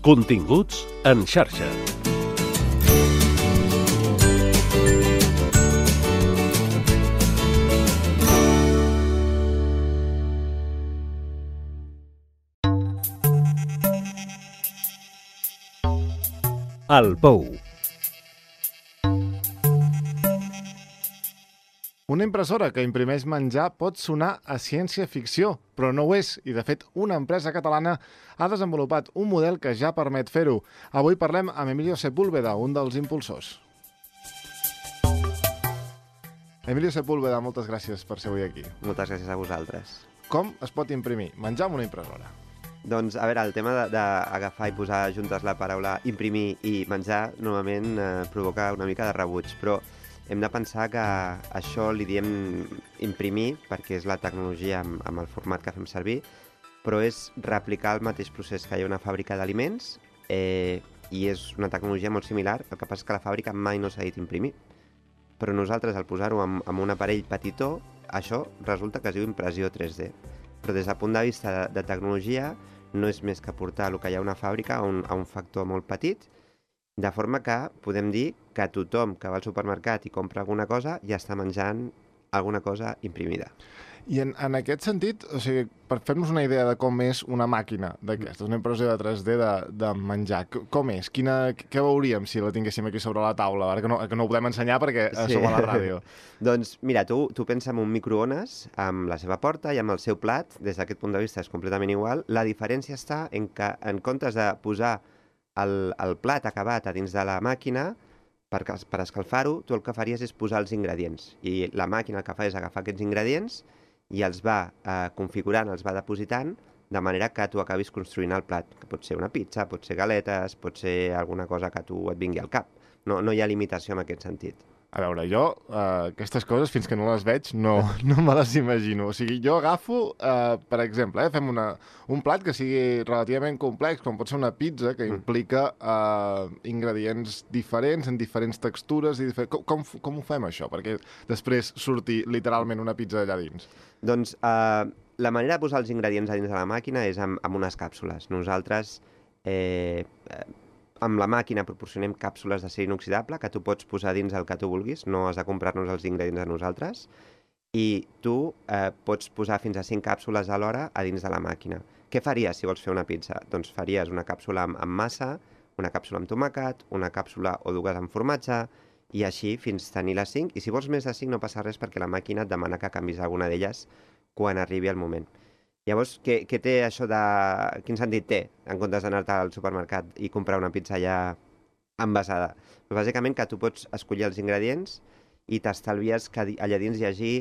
Continguts en xarxa. El Pou. Una impressora que imprimeix menjar pot sonar a ciència-ficció, però no ho és, i de fet una empresa catalana ha desenvolupat un model que ja permet fer-ho. Avui parlem amb Emilio Sepúlveda, un dels impulsors. Emilio Sepúlveda, moltes gràcies per ser avui aquí. Moltes gràcies a vosaltres. Com es pot imprimir menjar amb una impressora? Doncs, a veure, el tema d'agafar i posar juntes la paraula imprimir i menjar normalment provoca una mica de rebuig, però hem de pensar que això li diem imprimir perquè és la tecnologia amb el format que fem servir, però és replicar el mateix procés que hi ha una fàbrica d'aliments i és una tecnologia molt similar, el que passa és que la fàbrica mai no s'ha dit imprimir. Però nosaltres, al posar-ho amb un aparell petitó, això resulta que es diu impressió 3D. Però des del punt de vista de tecnologia no és més que portar el que hi ha a una fàbrica a un factor molt petit, de forma que podem dir que tothom que va al supermercat i compra alguna cosa ja està menjant alguna cosa imprimida. I en aquest sentit, o sigui, per fer-nos una idea de com és una màquina d'aquesta, una impressió de 3D de menjar, com és? Què veuríem si la tinguéssim aquí sobre la taula? Ara que no ho podem ensenyar perquè som a la ràdio. Doncs mira, tu pensa en un microones amb la seva porta i amb el seu plat, des d'aquest punt de vista és completament igual. La diferència està en que en comptes de posar el plat acabat a dins de la màquina, per escalfar-ho, tu el que faries és posar els ingredients. I la màquina el que fa és agafar aquests ingredients i els va configurant, els va depositant, de manera que tu acabis construint el plat, que pot ser una pizza, pot ser galetes, pot ser alguna cosa que a tu et vingui al cap. No hi ha limitació en aquest sentit. A veure, jo aquestes coses, fins que no les veig, no me les imagino. O sigui, jo agafo, per exemple, fem un plat que sigui relativament complex, com pot ser una pizza, que implica ingredients diferents, en diferents textures. Com ho fem, això? Perquè després surti literalment una pizza allà dins. Doncs la manera de posar els ingredients a dins de la màquina és amb unes càpsules. Nosaltres amb la màquina proporcionem càpsules d'acer inoxidable que tu pots posar dins el que tu vulguis, no has de comprar-nos els ingredients a nosaltres, i tu pots posar fins a 5 càpsules a l'hora a dins de la màquina. Què faries si vols fer una pizza? Doncs faries una càpsula amb massa, una càpsula amb tomàquet, una càpsula o dues amb formatge, i així fins tenir les 5, i si vols més de 5 no passa res perquè la màquina et demana que canvis alguna d'elles quan arribi el moment. Llavors, què té això de... Quin sentit té, en comptes d'anar-te al supermercat i comprar una pizza ja envasada? Doncs bàsicament que tu pots escollir els ingredients i t'estalvies que allà dins hi hagi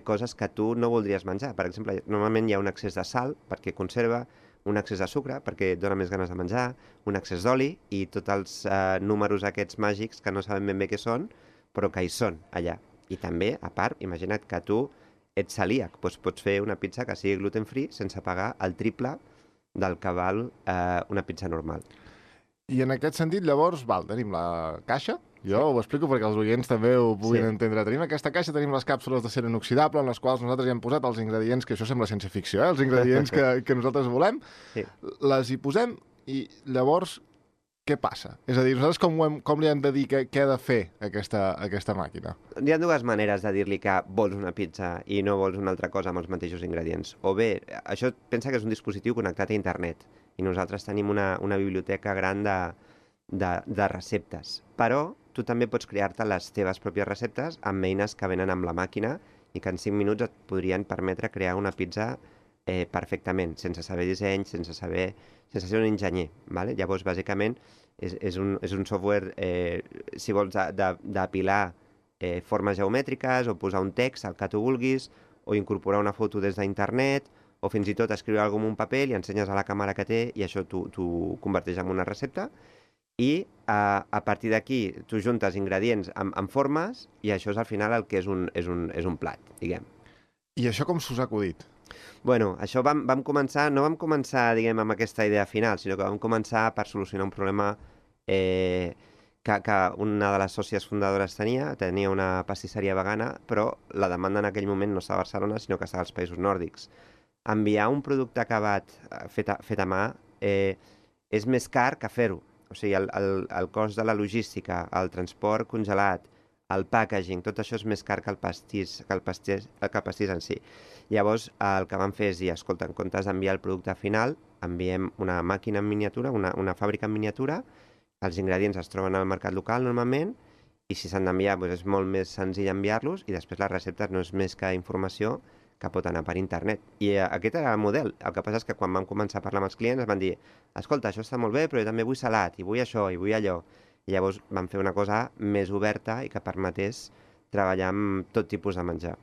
coses que tu no voldries menjar. Per exemple, normalment hi ha un excés de sal perquè conserva, un excés de sucre perquè et dona més ganes de menjar, un excés d'oli i tots els números aquests màgics que no sabem ben bé què són, però que hi són allà. I també, a part, imagina't que tu ets celíac, doncs pots fer una pizza que sigui gluten-free sense pagar el triple del que val una pizza normal. I en aquest sentit, llavors, tenim la caixa. Jo ho explico perquè els oients també ho puguin entendre. Tenim aquesta caixa, tenim les càpsules d'acer inoxidable en les quals nosaltres hi hem posat els ingredients, que això sembla ciència-ficció, els ingredients que nosaltres volem. Sí. Les hi posem i llavors què passa? És a dir, nosaltres com li hem de dir què ha de fer aquesta màquina? Hi ha dues maneres de dir-li que vols una pizza i no vols una altra cosa amb els mateixos ingredients. O bé, això pensa que és un dispositiu connectat a internet i nosaltres tenim una biblioteca gran de receptes. Però tu també pots crear-te les teves pròpies receptes amb eines que venen amb la màquina i que en 5 minuts et podrien permetre crear una pizza perfectament, sense saber disseny, sense ser un enginyer. ¿Vale? Llavors, bàsicament, és un software, si vols, d'apilar formes geomètriques o posar un text al que tu vulguis o incorporar una foto des d'internet o fins i tot escriure alguna cosa en un paper, li ensenyes a la càmera que té i això t'ho converteix en una recepta i a partir d'aquí tu juntes ingredients amb formes i això és al final el que és un plat, diguem. I això com s'us ha acudit? Bueno, això no vam començar, diguem, amb aquesta idea final, sinó que vam començar per solucionar un problema que una de les sòcies fundadores tenia una pastisseria vegana, però la demanda en aquell moment no estava a Barcelona, sinó que estava als països nòrdics. Enviar un producte acabat fet a mà és més car que fer-ho. O sigui, el cost de la logística, el transport congelat, el packaging, tot això és més car que el pastís en si. Llavors, el que vam fer és dir, escolta, en comptes d'enviar el producte final, enviem una màquina en miniatura, una fàbrica en miniatura, els ingredients es troben al mercat local normalment, i si s'han d'enviar doncs és molt més senzill enviar-los, i després les receptes no és més que informació que pot anar per internet. I aquest era el model. El que passa és que quan vam començar a parlar amb els clients van dir, escolta, això està molt bé, però jo també vull salat, i vull això, i vull allò. I llavors vam fer una cosa més oberta i que permetés treballar amb tot tipus de menjar.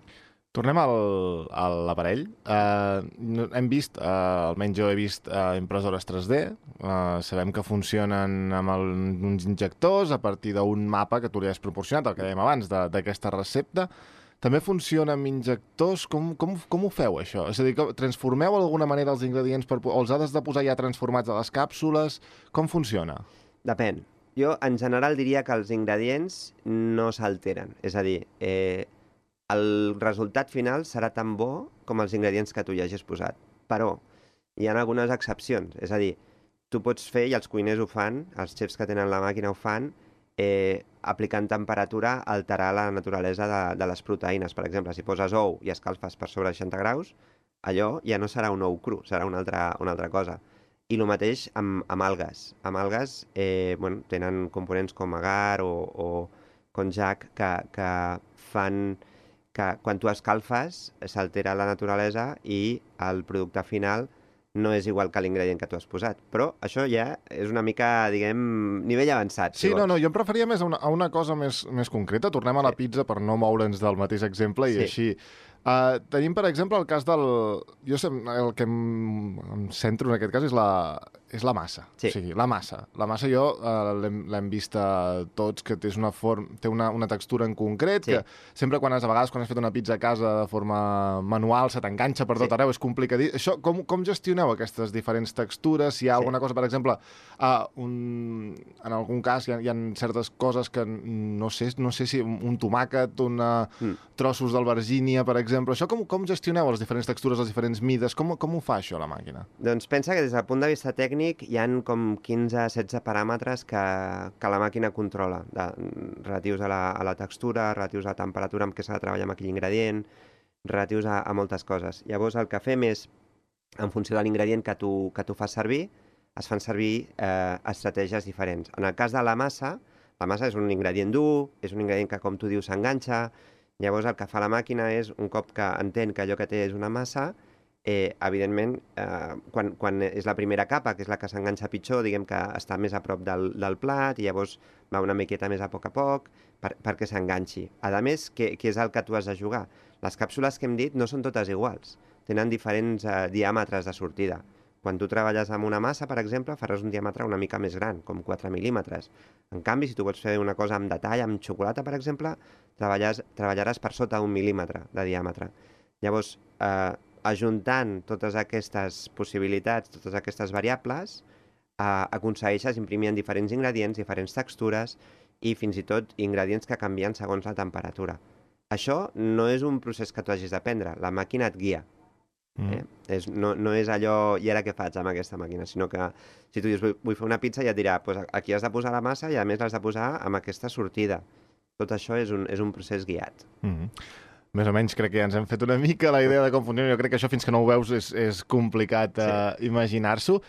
Tornem a l'aparell. Hem vist, almenys jo he vist impressores 3D, sabem que funcionen amb uns injectors a partir d'un mapa que tu li has proporcionat, el que dèiem abans, d'aquesta recepta. També funciona amb injectors? Com ho feu, això? És a dir, transformeu d'alguna manera els ingredients o els has de posar ja transformats a les càpsules? Com funciona? Depèn. Jo, en general, diria que els ingredients no s'alteren. És a dir, el resultat final serà tan bo com els ingredients que tu hi hagis posat. Però hi ha algunes excepcions. És a dir, tu pots fer, i els cuiners ho fan, els xefs que tenen la màquina ho fan, aplicant temperatura, alterar la naturalesa de les proteïnes. Per exemple, si poses ou i escalfes per sobre 60 graus, allò ja no serà un ou cru, serà una altra cosa. I el mateix amb algues. Amb algues tenen components com agar o konjac que fan que quan tu escalfes s'altera la naturalesa i el producte final no és igual que l'ingredient que tu has posat. Però això ja és una mica, diguem, nivell avançat. Sí, no, jo em referia més a una cosa més concreta. Tornem a la pizza per no moure'ns del mateix exemple i així. Tenim, per exemple, el cas del... El que em centro en aquest cas és la massa. Sí. O sigui, la massa. La massa jo l'hem vist tots, que té una textura en concret, que sempre a vegades quan has fet una pizza a casa de forma manual se t'enganxa per tot arreu, és complicat. Això, com gestioneu aquestes diferents textures? Si hi ha alguna cosa, per exemple, en algun cas hi ha certes coses que no sé si un tomàquet, trossos d'albergínia, per exemple. Això com gestioneu les diferents textures, les diferents mides? Com ho fa això la màquina? Doncs pensa que des del punt de vista tècnic hi han com 15-16 paràmetres que la màquina controla, relatius a la textura, relatius a la temperatura amb què s'ha de treballar amb aquell ingredient, relatius a moltes coses. Llavors el que fem és, en funció de l'ingredient que tu fas servir, es fan servir estratègies diferents. En el cas de la massa és un ingredient dur, és un ingredient que, com tu dius, s'enganxa. Llavors el que fa la màquina és, un cop que entén que allò que té és una massa, evidentment, quan és la primera capa, que és la que s'enganxa pitjor, diguem que està més a prop del plat, i llavors va una miqueta més a poc perquè s'enganxi. A més, què és el que tu has de jugar? Les càpsules que hem dit no són totes iguals, tenen diferents diàmetres de sortida. Quan tu treballes amb una massa, per exemple, faràs un diàmetre una mica més gran, com 4 mil·límetres. En canvi, si tu vols fer una cosa amb detall, amb xocolata, per exemple, treballaràs per sota 1 mil·límetre de diàmetre. Llavors, ajuntant totes aquestes possibilitats, totes aquestes variables, aconsegueixes imprimir en diferents ingredients, diferents textures i fins i tot ingredients que canvien segons la temperatura. Això no és un procés que tu hagis d'aprendre, la màquina et guia. No és allò, i ara què faig amb aquesta màquina, sinó que si tu dius vull fer una pizza ja et dirà aquí has de posar la massa i a més l'has de posar amb aquesta sortida. Tot això és un procés guiat. Més o menys crec que ja ens hem fet una mica la idea de com funciona. Jo crec que això fins que no ho veus és complicat imaginar-s'ho.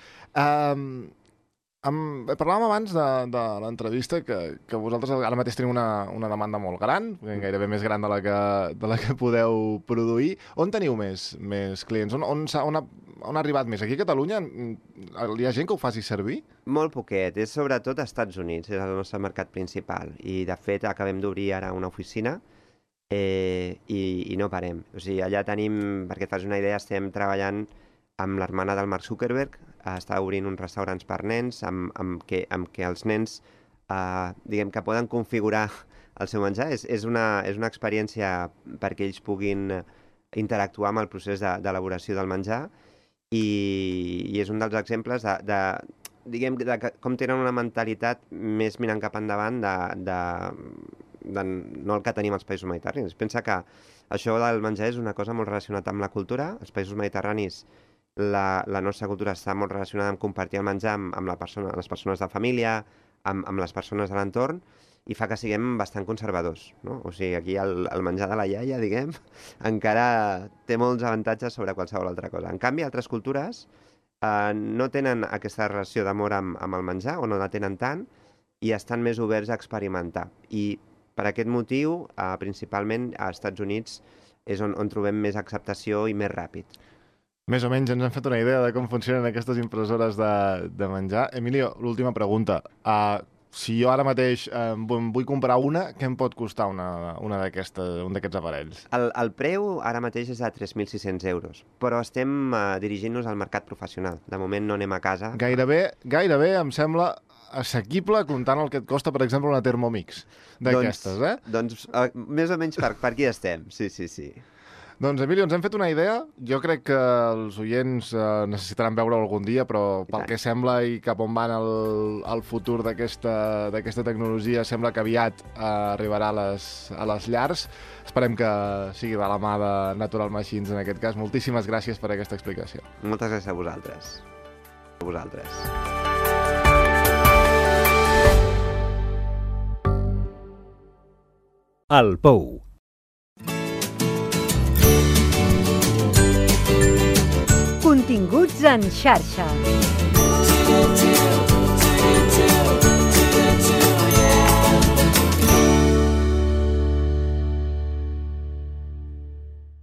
Parlàvem abans de l'entrevista que vosaltres ara mateix teniu una demanda molt gran, gairebé més gran de la que podeu produir. On teniu més clients? On ha arribat més? Aquí a Catalunya hi ha gent que ho faci servir? Molt poquet. És sobretot als Estats Units, és el nostre mercat principal. I, de fet, acabem d'obrir ara una oficina i no parem. O sigui, allà tenim, perquè et fas una idea, estem treballant amb l'hermana del Mark Zuckerberg, està obrint uns restaurants per nens amb què els nens diguem que poden configurar el seu menjar. És una experiència perquè ells puguin interactuar amb el procés d'elaboració del menjar i és un dels exemples de com tenen una mentalitat més mirant cap endavant no el que tenim als països mediterranis. Pensa que això del menjar és una cosa molt relacionada amb la cultura. Els països mediterranis la nostra cultura està molt relacionada amb compartir el menjar amb les persones de família, amb les persones de l'entorn, i fa que siguem bastant conservadors, no? O sigui, aquí el menjar de la iaia, diguem, encara té molts avantatges sobre qualsevol altra cosa. En canvi, altres cultures no tenen aquesta relació d'amor amb el menjar, o no la tenen tant, i estan més oberts a experimentar. I per aquest motiu, principalment als Estats Units, és on trobem més acceptació i més ràpid. Més o menys ens hem fet una idea de com funcionen aquestes impressores de menjar. Emilio, l'última pregunta. Si jo ara mateix vull comprar una, què em pot costar un d'aquests aparells? El preu ara mateix és de 3.600 euros, però estem dirigint-nos al mercat professional. De moment no anem a casa. Gairebé em sembla assequible comptant el que et costa, per exemple, una Thermomix d'aquestes, Doncs més o menys per aquí estem, sí. Doncs, Emilio, ens hem fet una idea. Jo crec que els oients necessitaran veure-ho algun dia, però pel que sembla i cap on van el futur d'aquesta tecnologia, sembla que aviat arribarà a les llars. Esperem que sigui de la mà de Natural Machines en aquest cas. Moltíssimes gràcies per aquesta explicació. Moltes gràcies a vosaltres. El Pou. Continguts en xarxa.